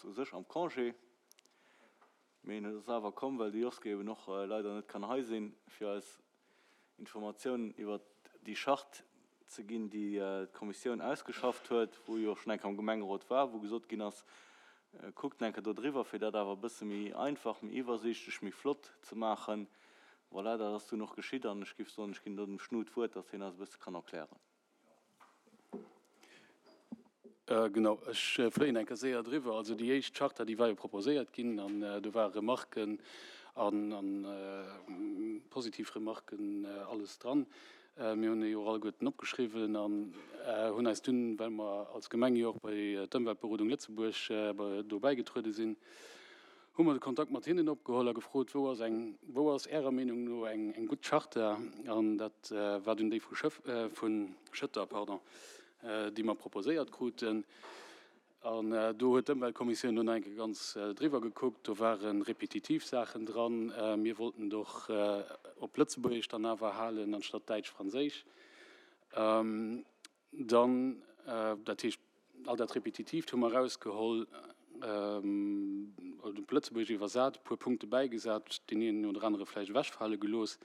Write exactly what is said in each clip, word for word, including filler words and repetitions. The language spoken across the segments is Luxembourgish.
u sech am Congé, mee en ass awer komm, well de Joske eben och leider net kann hei sinn, fir eis Informatiounen iwwert déi Charte ze ginn, déi d'Kommissioun ausgeschafft huet, wou jo och schonn eng Kéier am Gemengerot war, wou gesot ginn ass, kuckt eng Kéier do driwwer, fir dat awer e bësse méi einfach, méi iwwersiichtlech, méi flott ze maachen. Voilà, dat ass dunn och geschitt an ech géif soen, ech ginn do dem Schnu d'Wuert, datt hien eis e bësse kann erklären. Genau, ech fléien eng Kéier séier driwwer. Also déi éischt Charta, déi war jo proposéiert ginn an do ware Remarken an positiv Remarken alles dran. Mir hunn déi och alleguerten opgeschriwwen an hunn eis dunn, well mer als Gemeng jo och bei d'Ëmweltberodung Lëtzebuerg do bäigetruede sinn, hu mer de Kontakt mat hinnen opgeholl a gefrot, Wou ass eng, wou ass Ärer Meenung no eng, eng gutt Charta? An dat war dunn déi vu Schëff, vu Schëtter, pardon, déi mer proposéiert kruten. An do huet d'Ëmweltkommissioun dunn nach eng Kéier ganz driwwer gekuckt. Do ware repetitiv Saachen dran. Mir wollten et och op Lëtzebuergesch dann awer halen anstatt Däitsch-Franséisch. Dann, dat heescht, all dat Repetitiivt hu mer erausgeholl, oder op Lëtzebuergesch iwwersat, e puer Punkte bäigesat, deen een oder anere vläicht ewechfale gelooss.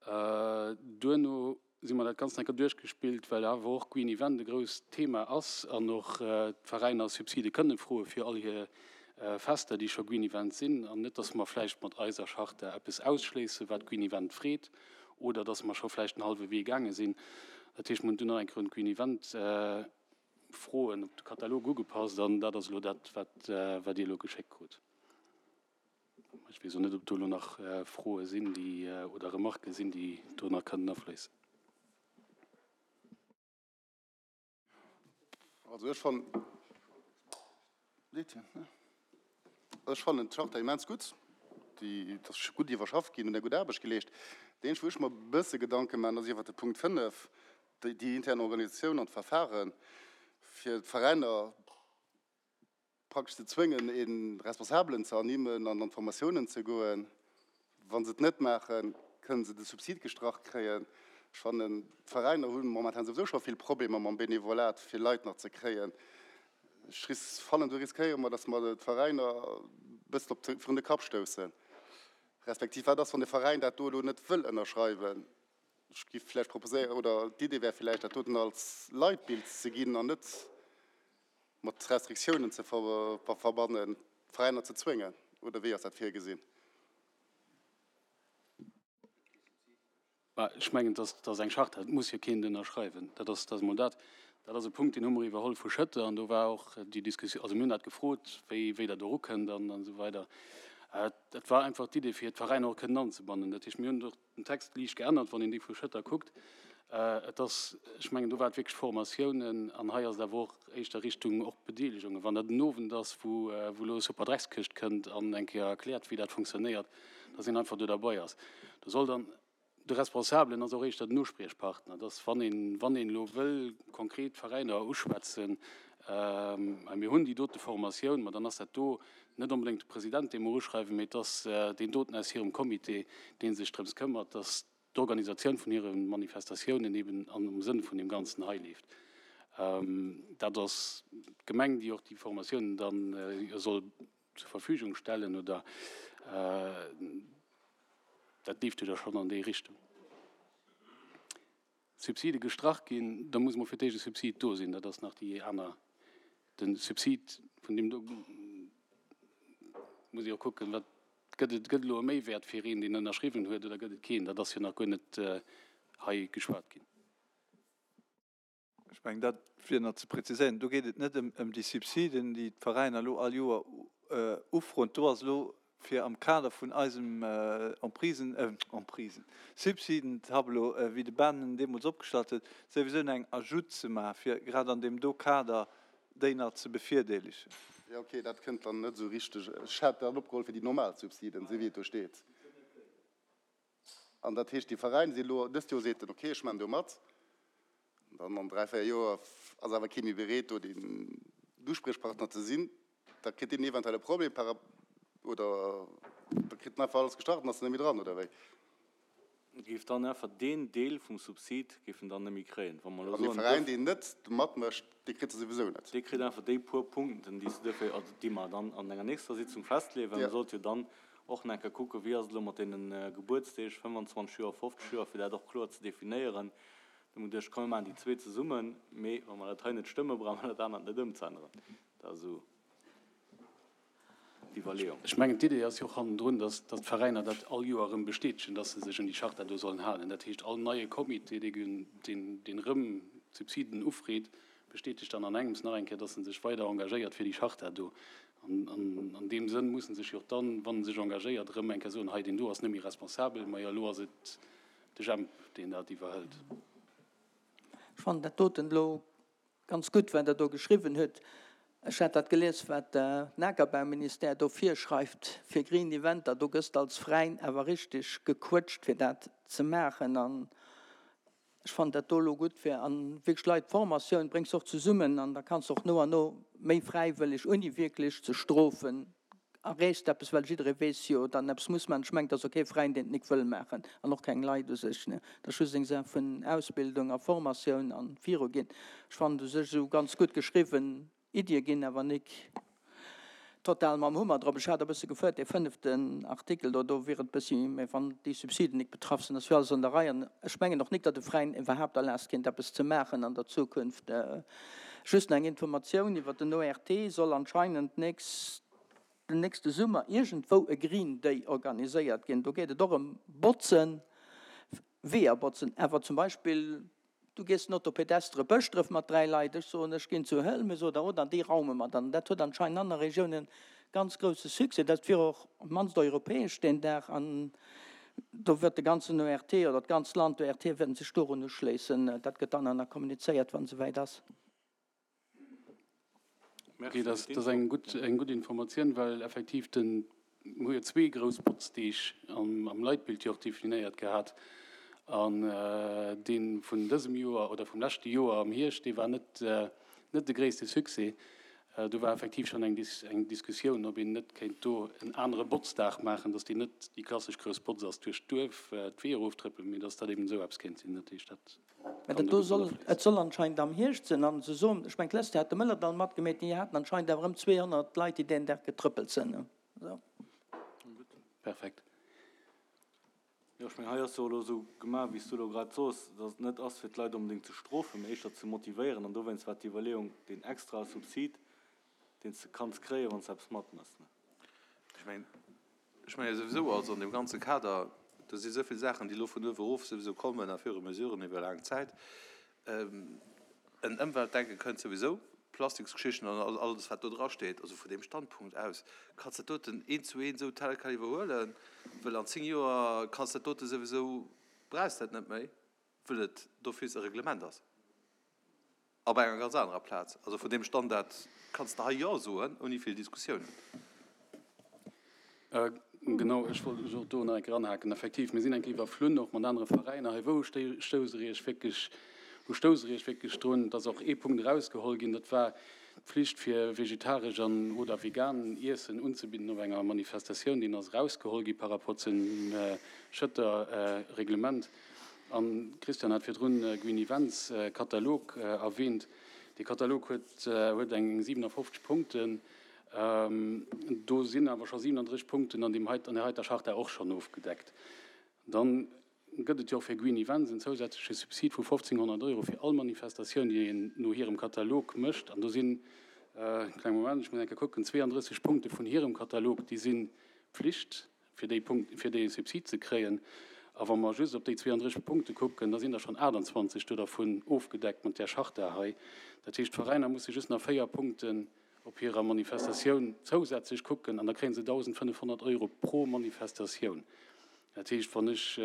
Duerno si mer dat Ganzt eng Kéier duerchgespillt, well awer och Green Event e grousst Thema ass an och d'Veräiner Subside kënne froe fir all hir Fester, déi scho Green Event sinn, an net, dass mer vläicht mat eiser Charta eppes ausschléissen, wat Green Event freet, oder dass mer scho vläicht en hallwe Wee gaange sinn. Dat heescht, mer hunn dunn nach eng Kéier un d'Green Event Froen op de Katalog ugepasst an dat ass elo dat, wat Dir elo geschéckt krut. Ech weess och net, ob do elo nach Froe sinn, déi, oder Remarquë sinn, déi do nach kënnen afléissen. Also ech fannen, ech fannen d'Charta immens gutt. Déi ass gutt iwwerschafft ginn, hunn eng gutt Aarbecht geleescht. Dat eenzegt, wou ech mer e bësse Gedanke maachen, ass iwwert de Punkt fënnef, déi intern Organisatioun an d'Verfaren, fir d'Veräiner praktesch ze zwéngen, ee Responsabelen ze ernimmen an an d'Formatiounen ze goen. Wa se et net maachen, kënnen se de Subsid gestrach kréien. Ech fannen, d'Veräiner hu momentan souwisou scho vill Problemer mam Benevolat, fir Leit nach ze kréien. Ech fannen, do riskéiere mer, datt mer d'Veräiner e bëssen op virun de Kapp stoussen. Respektiv, wat ass, wann de Veräin dat do elo net wëll ënnerschreiwen? Ech géif vläicht proposéieren, oder d'Idee wär vläicht, dat doten als Leitbild ze ginn an net mat Restriktiounen ze verbannen, d'Veräiner ze zwéngen, oder wéi ass dat virgesinn? Ech mengen, dat ass eng Charta, dat muss jo keen ënnerschreiwen. Dat ass, dat ass emol dat. Dat ass e Punkt, deen hu mer iwwerholl vu Schëtter an do war och déi Diskussioun, also mir hunn dat gefrot, wéi, wéi Der do erukënnt an esou weider. Dat war einfach d'Idee, fir d'Veräiner och kënnen anzebannen. Dat heescht, mir hunn och den Text liicht geännert, wann een déi vu Schëtter kuckt. Et ass, ech mengen, do war et wierklech Formatiounen an hei ass et awer och éischter Richtung och Bedeelegungen. Wann dat en Owend ass, wou elo Super Dreckskëscht kënnt an eng Kéier erkläert, wéi dat funktionéiert, dass een einfach do derbei ass. Do soll dann de Responsabelen ass och éischter den Uspriechpartner, dass wann een, wann een elo wëll konkret Veräiner uschwätzen, mir hunn déi dote Formatioun, ma dann ass dat do net onbedéngt de President, dee mer uschreiwen, mee et ass deen doten aus hirem Comité, dee sech drëms këmmert, dass d'Organisatioun vun hire Manifestatiounen eben am Sënn vun deem Ganzen hei leeft. Dat ass d'Gemeng, déi och déi Formatiounen da soll zur Verfügung stellen, oder dat leeft jo da schonn an déi Richtung. Subside gestrach ginn, da muss emol fir d'éischt e Subsid do sinn. Dat ass nach déi aner, de Subsid vun deem do muss ee och kucken, wat gëtt et, gëtt elo e Méiwäert fir een, deen ënnerschriwwen huet, oder gëtt et keen? Dat ass jo nach guer net hei geschwat ginn. Ech mengen, dat wier nach ze präziséieren, do geet et net ëm déi Subsiden, déi d'Veräiner elo all Joer ufroen. Do ass elo fir am Kader vun eisem Emprisen, Emprisen, Subsidentableau, wéi de Ben en deemools opgestallt huet, souwisou eng Ajoute ze maachen, fir grad an deem do Kader déi nach ze bevirdeelegen. Jo, okay, dat kënnt dann net esou richteg. Ech hat dat opgeholl fir déi normal Subsiden, esou wéi et do steet. An dat heescht, déi Veräin si elo, dëst Joer seet en, okay, ech maachen do mat. Dann an dräi, véier Joer ass awer kee méi bereet, do den Uspriechpartner ze sinn. Da kritt deen eventuell e Problem par oder da kritt en einfach alles gestrach an ass net méi dran, oder wéi? Géif dann einfach deen Deel vum Subsid géif en dann net méi kréien. Wa mer elo An dee soen, Veräin, dës. deen net matmécht, dee kritt se souwisou net. Dee kritt einfach déi puer Punkten, déi se duerfir, also déi mer dann an enger nächster Sitzung festleeën, well Ja. mer sollte jo dann och nach eng Kéier kucken, wéi ass et elo mat deene Gebuertsdeeg, fënnefanzwanzeg Joer, fofzeg Joer, fir dat och kloer ze definéieren. Da hu mer geduecht, komm mir maachen déi zwee zesummen, mee wa mer dat hei net stëmmen, brauche mer dat anert net ëmzeänneren. Dat ass esou d'Iwwerleeung. Ech mengen, d'Idee ass jo och hannendrun, dass d'Veräiner dat all Joer erëm bestätegen, dass se sech un déi Charta do sollen halen. Dat heescht, all neie Comité, deen erëm Subsiden ufreet, bestätegt dann an engems nach eng Kéier, dass en sech weider engagéiert fir déi Charta do. An an deem Sënn muss en sech jo och dann, wann en sech engagéiert, erëm eng Kéier soen, hei, deen do ass net méi responsabel, majo elo ass et de Jemp, deen dat iwwerhëlt. Ech fannen dat doten elo ganz gutt, wat Der do geschriwwen hutt. Ech hat dat gelies, wat den Akerbauministère do virschreift fir Green Eventer. Do gëss de als Veräin awer richteg gequëtscht, fir dat ze maachen. An ech fannen dat do elo gutt, fir an wierklech Leit, d'Formatioun bréngs de och zesummen an da kanns de och no an no méi fräiwëlleg, ouni wierklech ze strofen, erreechs de eppes, well jidderee weess jo dann eppes muss maachen. Ech mengen, et ass och kee Veräin, deen et nik wëll maachen an och keng Leit u sech. Et ass just eng Saach vun Ausbildung a Formatioun a viruginn. Ech fannen et u sech esou ganz gutt geschriwwen. Iddie ginn awer nik total mam Hummer drop. Ech hat e bësse gefuert, dee fënneften Artikel do, do wier et bëssi, mä wann déi Subsiden nik betraff sinn, ass jo alles an der Rei. An ech mengen och nik, datt e Veräin iwwerhaapt erlaasst kéint eppes ze maachen an der Zukunft. Just nach eng Informatioun iwwer den O R T, soll anscheinend nächst, den nächste Summer iergendwou e Green Day organiséiert ginn. Do geet et och ëm Botzen, Weeër botzen, awer zum Beispill du gees den Autopedestre Bëschdref mat dräi Leit, ech soen, ech ginn zu Hëlmes oder oder, an déi raume mer dann. Dat huet anscheinend an anere Regiounen ganz grousse Succès. Dat wier och op d'mannst europäesch deen Dag an do wird de ganzen O R T oder d'ganzt Land O R T wäerten sech dorun uschléissen. Dat gëtt dann nach kommunizéiert, wann et souwäit ass. Okay, dat ass eng gutt, eng gutt Informatioun, well effektiv den, mir hu jo zwee grouss Botzdeeg am, am Leitbild jo och definéiert gehat. An dee vun dësem Joer oder vum leschte Joer am Hierscht, dee war net, net de gréisste Succès. Do war effektiv schonn eng, eng Diskussioun, ob een net kéint do en anere Botzdag maachen, dass deen net déi klassesch grouss Botz ass duerch d'Duerf, d'Weeër eroftrëppelen, mee dass dat eben esou eppes kéint sinn. Dat heescht, dat Mä dat do soll, et soll anscheinend am Hierscht sinn an se soen, ech mengen d'lescht Joer hat de Mëllerdall matgemeet, déi haten anscheinend awer ëm zweehonnert Leit, déi deen Dag getrëppelt sinn. Esou. Perfekt. Jo, ech mengen, hei ass jo elo esou gemaach, wéi s du elo grad soos, dass et net ass, fir d'Leit onbedéngt ze strofen, mee éischter ze motivéieren. An dowéinst war d'Iwwerleeung, deen extrae Subsid, deen s de kanns kréien, wann s de eppes matmëss. Ech mengen, ech menge souwisou, also an deem ganze Kader, do si esou vill Saachen, déi elo vun uewe erof souwisou kommen a fir Mesuren iwwer laang Zäit. En Ëmweltdenke kënnt souwisou, Plastiksgeschichten an alles, wat do drasteet. Also vun deem Standpunkt aus kanns de dat doten eent zu eent esou tel quel iwwerhuelen, well an zéng Joer kanns de dat dote souwisou, brauchs dat net méi, well et d'office e Reglement ass op enger ganz anerer Plaz. Also vun deem Standard kanns de hei Jo soen, ouni vill Diskussiounen. Genau, ech wollt och do nach eng Kéier anhaken. Effektiv, mir sinn eng Kéier iwwerflunn, och mat anere Veräiner hei. Wou stousst Der Iech wierklech, wou stousst Der Iech wierklech drun? Et ass och ee Punkt erausgeholl ginn, dat war d'Pflicht fir vegetaresch an oder vegan Iessen unzebidden op enger Manifestatioun. Deen ass erausgeholl gi par rapport zum Schëtter Reglement. An Christian hat virdrun Green Events Katalog erwähnt. Dee Katalog huet huet eng siwenafofzeg Punkten. Do sinn awer scho siwenandrësseg Punkten an deem hei, an där heiter Charta och schonn ofgedeckt. Dann gëtt et jo och fir Green Events en zousätzleche Subsid vu fofzénghonnert Euro fir all Manifestatioun, déi een no hirem Katalog mécht. An do sinn, kleng Moment, ech muss eng Kéier kucken, zweeandrësseg Punkte vun hirem Katalog, déi si Pflicht, fir déi Punkt, fir dee Subsid ze kréien. A wa mer just op déi zweeandrësseg Punkte kucken, da sinn der schonn aachtanzwanzeg do dervun ofgedeckt mat där Charta hei. Dat heescht, d'Veräiner musse just nach véier Punkten op hirer Manifestatioun zousätzlech kucken an da kréie se dausendfënnefhonnert Euro pro Manifestatioun. Dat heescht, wann ech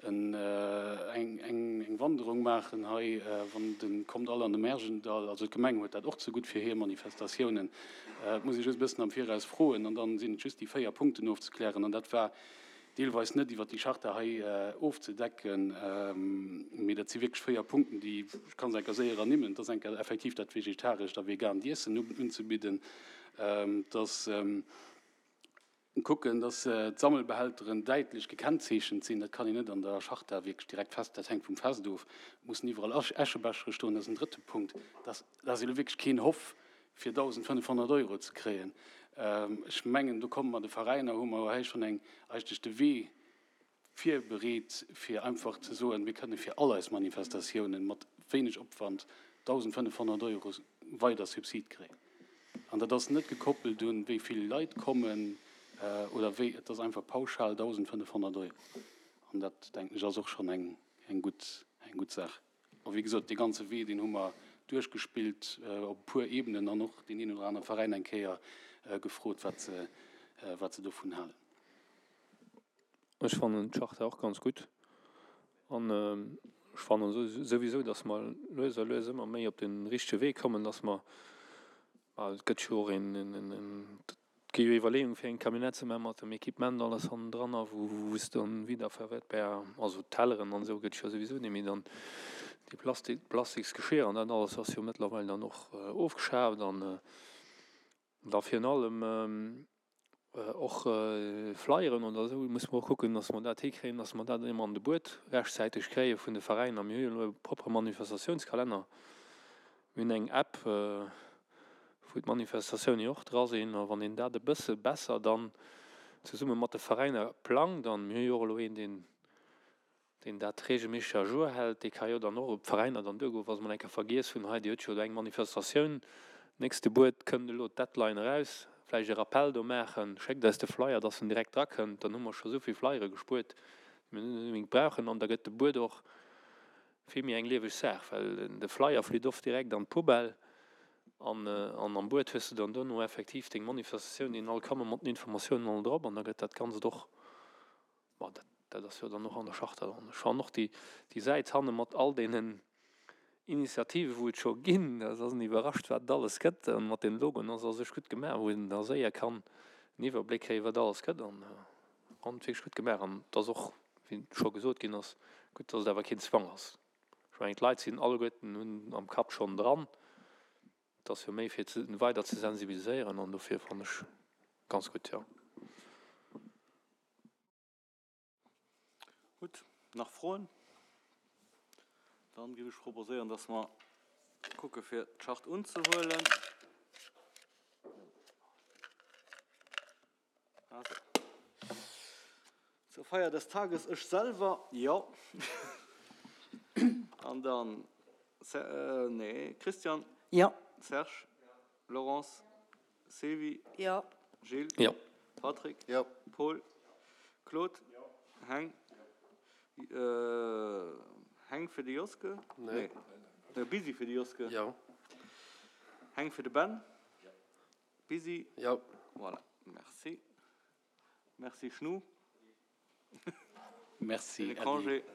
eng eng Wanderung maachen hei, wann de Kommt all an de Märjendall, also d'Gemeng huet dat och zegutt fir hir Manifestatiounen, et muss ee just e bëssen am Viraus froen an dann sinn et just déi véier Punkten ofzeklären an dat war deelweis net iwwert déi Charta hei ofzedecken, mee dat si wierklech véier Punkten, déi, ech ka se enker séier ernimmen, et ass enker effektiv dat vegetarescht a vegaant Iessen unzebidden, et ass Kucken, dass d'Sammelbehälteren däitlech gekennzeechent sinn. Dat kann een net an der Charta wierklech direkt fest, dat hänkt vum Fest of. Et mussen iwwerall Äschebechere stoen, dat ass en drëtte Punkt. Dat ass elo wierklech keen Hoff, fir dausendfënnefhonnert Euro ze kréien. Ech mengen, do komme mer de Veräiner, hu mer hei schonn eng eigentlech de Wee virbereet, fir einfach ze soen, mir kënne fir all eis Manifestatiounen mat wéineg Opwand dausendfënnefhonnert Euro weider Subsid kréien. An dat ass net gekoppelt un, wéi vill Leit kommen oder wéi, et ass einfach pauschal dausendfënnefhonnert Euro. An dat, denken ech, ass och schonn eng, eng gutt, eng gutt Saach. A wéi gesot, dee ganze Wee, deen hu mer duerchgespillt op e puer Ebenen an och deen een oder anere Veräin eng Kéier gefrot, wat se, wat se dovun halen. Ech fannen d'Charta och ganz gutt an ech fannen souwisou, datt mer lues a lues ëmmer méi op de richtege Wee kommen, datt mer, well et gëtt jo och een, et gi jo Iwwerleeungen, fir eng Camionnette ze maachen mat dem Equipement alles hannendran a wou wou s dann wiederverwertbar, also Telleren an esou gëtt jo souwisou net méi dann déi Plastik, Plastiksgeschir an dat alles ass jo mëttlerweil dann och ofgeschaaft an da virun allem Och Flyeren oder esou musse mer och kucken, dass mer dat hikréien, dass mer dat ëmmer an de Buet rechtzäiteg kréie vun de Veräiner. Mir hu jo elo e proppere Manifestatiounskalenner. Mir hunn eng App, wou d'Manifestatioune jo och dra sinn. A wann een dat e bësse besser dann zesumme mat de Veräiner plangt, an mir hu jo och elo een, deen deen dat regelméisseg à jour hält, dee ka jo dann och op d'Veräiner dann duergoen, wa se mol eng Kéier vergiess hunn, hei Dir hutt jo do eng Manifestatioun, nächste Buet kënnt elo d'Deadline eraus, vläicht e Rappell do maachen, schéckt eis de Flyer, dass en direkt drakënnt, dann hu mer scho souvill Flyere gespuert, déi mer net onbedéngt brauchen an da gëtt de Buet och vill méi eng lieweg Saach, well de Flyer flitt oft direkt an d'Poubelle an am Buet hues de dann dono effektiv deng Manifestatioun, déi all komme mat den Informatiounen all drop an da gëtt dat Ganzt och, ma dat Dat ass jo dann och an der Charta dran. Ech fannen och déi, déi Säit hanne mat all deenen Initiativen, wou et scho ginn, dat ass en iwwerrascht, wat et alles gëtt. An mat deem Logoen ass a sech gutt gemaach, wou een da séier kann en Iwwerbléck kréien, wat alles gëtt. An fannen et wierklech gutt gemaach. An et ass och, wéi scho gesot ginn ass, gutt, dass et awer keen Zwang ass. Ech mengen, d'Leit sinn alleguerten, hunn am Kapp schonn dran. Et ass jo méi fir weider ze sensibiliséieren an dofir fannen ech ganz gutt, jo. Gutt, nach Froen? Dann géif ech proposéieren, dass mer kucke fir d'Charte unzehuelen. Also, zur Feier des Tages, ech selwer, jo. An dann, nee, Christian. Jo. Serge. Laurence. Sylvie. Jo. Gilles. Jo. Patrick. Jo. Paul. Claude. Heng. Heng fir de Joske? Nee. Nee, Busy fir de Joske. Jo. Heng fir de Ben? Jo. Busy? Jo. Voilà, merci. Merci Schnu. Merci Fir de Congé.